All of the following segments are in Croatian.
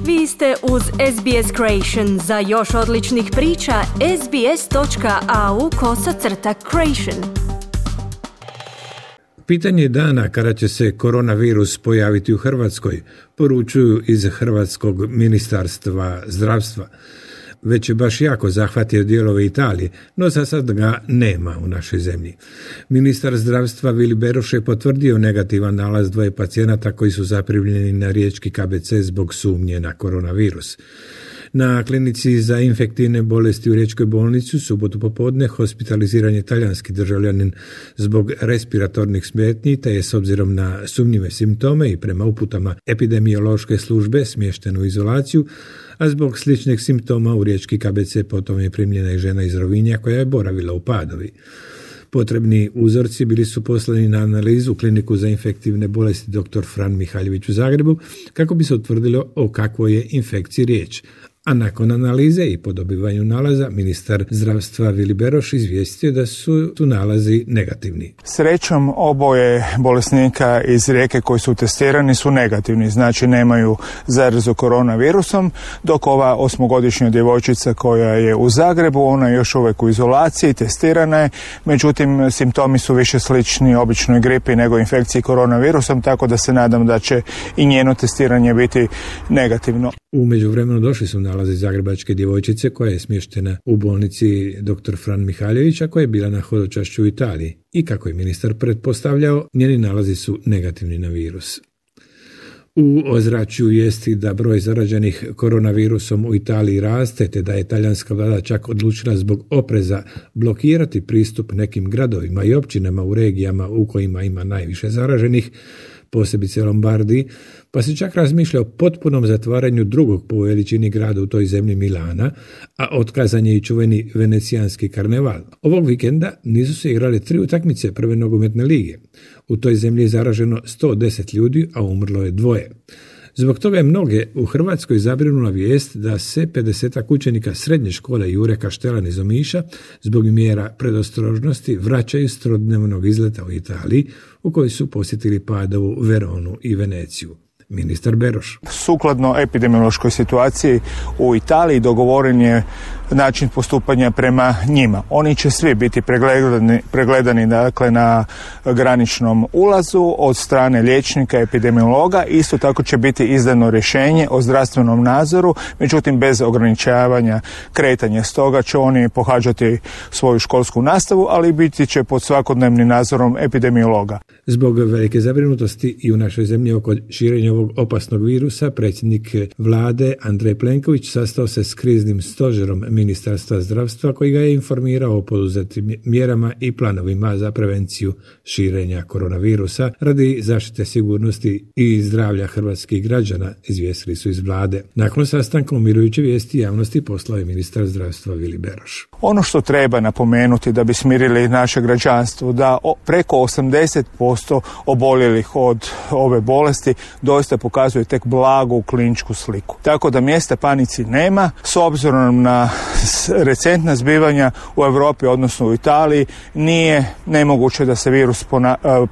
Vi ste uz SBS Creation. Za još odličnih priča, sbs.au/creation. Pitanje dana kada će se koronavirus pojaviti u Hrvatskoj, poručuju iz Hrvatskog ministarstva zdravstva. Već je baš jako zahvatio dijelove Italije, no za sad ga nema u našoj zemlji. Ministar zdravstva Vili Beroš je potvrdio negativan nalaz 2 pacijenata koji su zaprimljeni na riječki KBC zbog sumnje na koronavirus. Na klinici za infektivne bolesti u Riječkoj bolnici u subotu popodne hospitaliziran je talijanski državljanin zbog respiratornih smetnji, te je s obzirom na sumnjive simptome i prema uputama epidemiološke službe smješten u izolaciju, a zbog sličnih simptoma u Riječki KBC potom je primljena i žena iz Rovinja koja je boravila u Padovi. Potrebni uzorci bili su poslani na analizu u kliniku za infektivne bolesti dr. Fran Mihaljević u Zagrebu kako bi se utvrdilo o kakvoj je infekciji riječ. A nakon analize i po dobivanju nalaza, ministar zdravstva Vili Beroš izvijestio da su tu nalazi negativni. Srećom, oboje bolesnika iz Rijeke koji su testirani su negativni, znači nemaju zarazu koronavirusom, dok ova 8-godišnja djevojčica koja je u Zagrebu, ona je još uvijek u izolaciji, testirana je, međutim simptomi su više slični običnoj gripi nego infekciji koronavirusom, tako da se nadam da će i njeno testiranje biti negativno. U međuvremenu došli su nalazi zagrebačke djevojčice koja je smještena u bolnici dr. Fran Mihaljević, a koja je bila na hodočašću u Italiji. I kako je ministar pretpostavljao, njeni nalazi su negativni na virus. U ozračju vijesti da broj zaraženih koronavirusom u Italiji raste, te da je talijanska vlada čak odlučila zbog opreza blokirati pristup nekim gradovima i općinama u regijama u kojima ima najviše zaraženih, posebice Lombardiji, pa se čak razmišlja o potpunom zatvaranju drugog po veličini grada u toj zemlji Milana, a otkazan je i čuveni venecijanski karneval. Ovog vikenda nisu se igrale 3 utakmice prve nogometne lige. U toj zemlji je zaraženo 110 ljudi, a umrlo je 2. Zbog toga je mnoge u Hrvatskoj zabrinula vijest da se 50 učenika srednje škole Jure Kaštelan iz Omiša zbog mjera predostrožnosti vraćaju s trodnevnog izleta u Italiji, u kojoj su posjetili Padovu, Veronu i Veneciju. Ministar Beroš. Sukladno epidemiološkoj situaciji u Italiji dogovoren je način postupanja prema njima. Oni će svi biti pregledani dakle, na graničnom ulazu od strane liječnika, epidemiologa. Isto tako će biti izdano rješenje o zdravstvenom nadzoru, međutim bez ograničavanja kretanja. Stoga će oni pohađati svoju školsku nastavu, ali biti će pod svakodnevnim nadzorom epidemiologa. Zbog velike zabrinutosti i u našoj zemlji oko širenja ovog opasnog virusa, predsjednik vlade Andrej Plenković sastao se s kriznim stožerom Ministarstva zdravstva koji ga je informirao o poduzetim mjerama i planovima za prevenciju širenja koronavirusa radi zaštite sigurnosti i zdravlja hrvatskih građana, izvijestili su iz vlade. Nakon sastanka umirujuće vijesti javnosti poslao je ministar zdravstva Vili Beroš. Ono što treba napomenuti da bi smirili naše građanstvo, da preko 80% oboljelih od ove bolesti doista pokazuje tek blagu kliničku sliku. Tako da mjesta panici nema, s obzirom na recentna zbivanja u Europi, odnosno u Italiji, nije nemoguće da se virus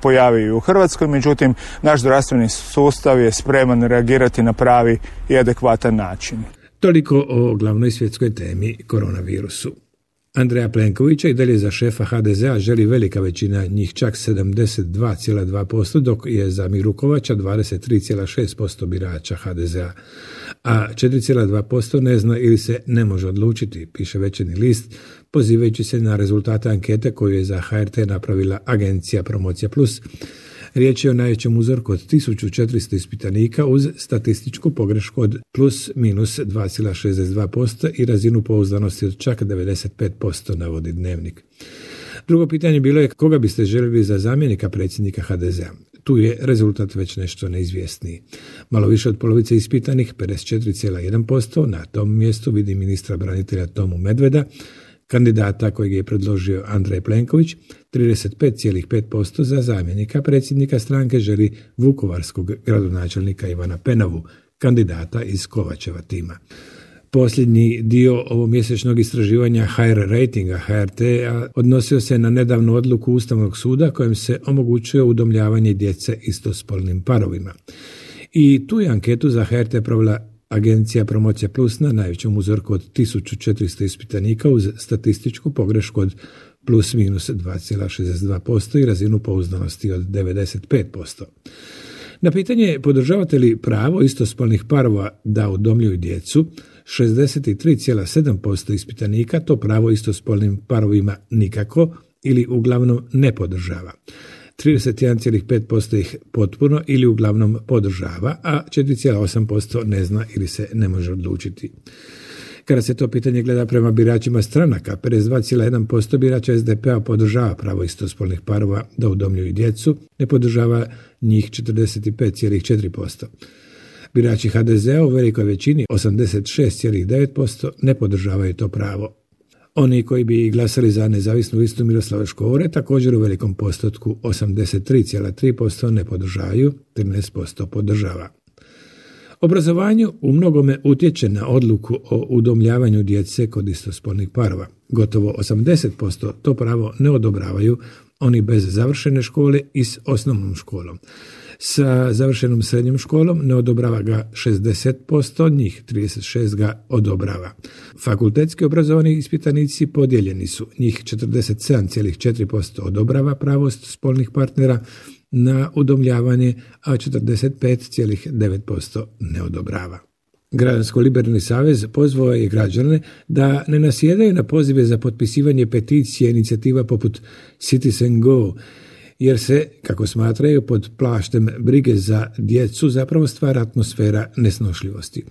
pojavi i u Hrvatskoj, međutim naš zdravstveni sustav je spreman reagirati na pravi i adekvatan način. Toliko o glavnoj svjetskoj temi koronavirusu. Andreja Plenkovića i dalje za šefa HDZ-a želi velika većina, njih čak 72,2%, dok je za Miru Kovača 23,6% birača HDZ-a, a 4,2% ne zna ili se ne može odlučiti, piše Večernji list, pozivajući se na rezultate ankete koju je za HRT napravila agencija Promocija Plus. Riječ je o najvećem uzorku od 1400 ispitanika uz statističku pogrešku od plus minus 2,62% i razinu pouzdanosti od čak 95%, navodi Dnevnik. Drugo pitanje bilo je koga biste željeli za zamjenika predsjednika HDZ-a. Tu je rezultat već nešto neizvjesniji. Malo više od polovice ispitanih, 54,1%, na tom mjestu vidi ministra branitelja Tomu Medveda, kandidata kojeg je predložio Andrej Plenković. 35,5% za zamjenika predsjednika stranke želi vukovarskog gradonačelnika Ivana Penavu, kandidata iz Kovačeva tima. Posljednji dio ovomjesečnog istraživanja HR ratinga HRT-a odnosio se na nedavnu odluku Ustavnog suda kojim se omogućuje udomljavanje djece istospolnim parovima. I tu je anketu za HRT provela Agencija Promocija Plus na najvećem uzorku od 1400 ispitanika uz statističku pogrešku od plus minus 2,62% i razinu pouzdanosti od 95%. Na pitanje podržavate li pravo istospolnih parova da udomljuju djecu, 63,7% ispitanika to pravo istospolnim parovima nikako ili uglavnom ne podržava. 31,5% ih potpuno ili uglavnom podržava, a 4,8% ne zna ili se ne može odlučiti. Kada se to pitanje gleda prema biračima stranaka, 52,1% birača SDP-a podržava pravo istospolnih parova da udomljuju djecu, ne podržava njih 45,4%. Birači HDZ-a u velikoj većini, 86,9%, ne podržavaju to pravo. Oni koji bi glasali za nezavisnu listu Miroslava Škore također u velikom postotku, 83,3%, ne podržavaju, 13% podržava. Obrazovanje u mnogome utječe na odluku o udomljavanju djece kod istospolnih parova. Gotovo 80% to pravo ne odobravaju oni bez završene škole i s osnovnom školom. Sa završenom srednjom školom ne odobrava ga 60%, njih 36 ga odobrava. Fakultetski obrazovani ispitanici podijeljeni su, njih 47,4% odobrava pravo spolnih partnera na udomljavanje, a 45,9% ne odobrava. Građansko-liberalni savez pozvao je građane da ne nasjedaju na pozive za potpisivanje peticije inicijativa poput Citizen Go, jer se, kako smatraju, pod plaštem brige za djecu zapravo stvara atmosfera nesnošljivosti.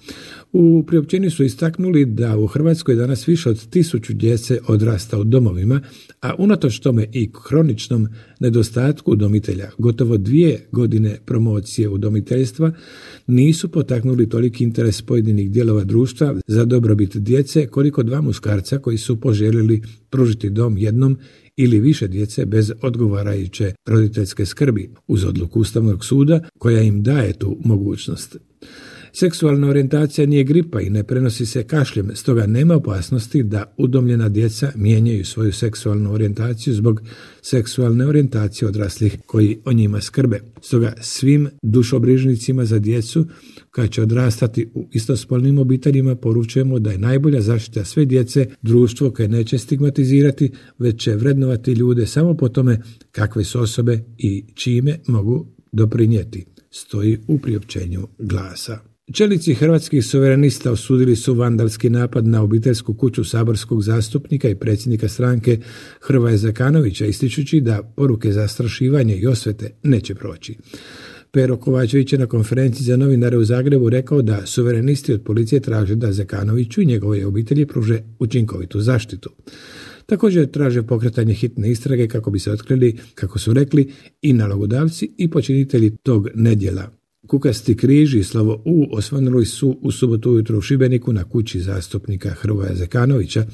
U priopćenju su istaknuli da u Hrvatskoj danas više od 1000 djece odrasta u domovima, a unatoč tome i kroničnom nedostatku udomitelja, gotovo 2 godine promocije udomiteljstva nisu potaknuli toliki interes pojedinih dijelova društva za dobrobit djece koliko 2 muškarca koji su poželjeli pružiti dom jednom ili više djece bez odgovarajuće roditeljske skrbi, uz odluku Ustavnog suda koja im daje tu mogućnost. Seksualna orijentacija nije gripa i ne prenosi se kašljem, stoga nema opasnosti da udomljena djeca mijenjaju svoju seksualnu orijentaciju zbog seksualne orijentacije odraslih koji o njima skrbe. Stoga svim dušobrižnicima za djecu koja će odrastati u istospolnim obiteljima poručujemo da je najbolja zaštita sve djece društvo koje neće stigmatizirati, već će vrednovati ljude samo po tome kakve su osobe i čime mogu doprinijeti, stoji u priopćenju Glasa. Čelnici Hrvatskih suverenista osudili su vandalski napad na obiteljsku kuću saborskog zastupnika i predsjednika stranke Hrvoja Zekanovića, ističući da poruke zastrašivanja i osvete neće proći. Pero Kovačević je na konferenciji za novinare u Zagrebu rekao da suverenisti od policije traže da Zekanoviću i njegove obitelji pruže učinkovitu zaštitu. Također traže pokretanje hitne istrage kako bi se otkrili, kako su rekli, i nalogodavci i počinitelji tog nedjela. Kukasti križ i slovo U osvanuli su u subotu ujutro u Šibeniku na kući zastupnika Hrvoja Zekanovića.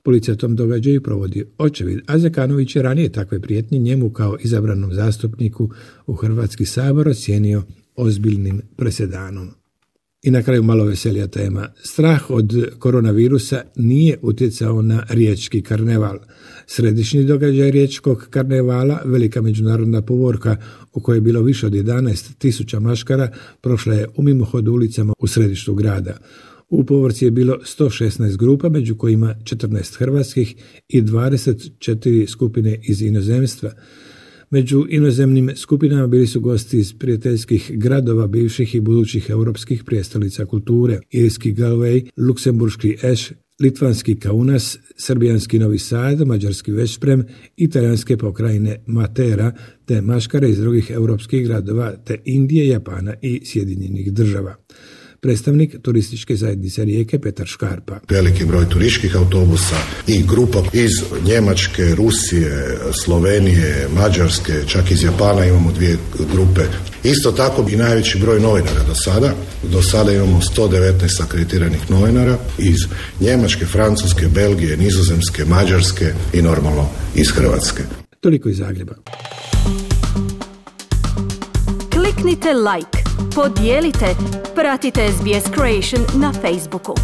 Policija tom događaju provodi očevid, a Zekanović je ranije takve prijetnje njemu kao izabranom zastupniku u Hrvatski sabor ocijenio ozbiljnim presedanom. I na kraju malo veselija tema. Strah od koronavirusa nije utjecao na riječki karneval. Središnji događaj riječkog karnevala, velika međunarodna povorka u kojoj je bilo više od 11.000 maškara, prošla je u mimohodu ulicama u središtu grada. U povorci je bilo 116 grupa, među kojima 14 hrvatskih i 24 skupine iz inozemstva. Među inozemnim skupinama bili su gosti iz prijateljskih gradova bivših i budućih europskih prijestolnica kulture, irski Galway, luksemburški Eš, litvanski Kaunas, srbijanski Novi Sad, mađarski Veszprem, italijanske pokrajine Matera, te maškare iz drugih europskih gradova, te Indije, Japana i Sjedinjenih Država. Predstavnik turističke zajednice Rijeke Petar Škarpa. Veliki broj turističkih autobusa i grupa iz Njemačke, Rusije, Slovenije, Mađarske, čak iz Japana imamo 2 grupe. Isto tako i najveći broj novinara do sada. Do sada imamo 119 akreditiranih novinara iz Njemačke, Francuske, Belgije, Nizozemske, Mađarske i normalno iz Hrvatske. Toliko iz Zagreba. Kliknite like, podijelite, pratite SBS Creation na Facebooku.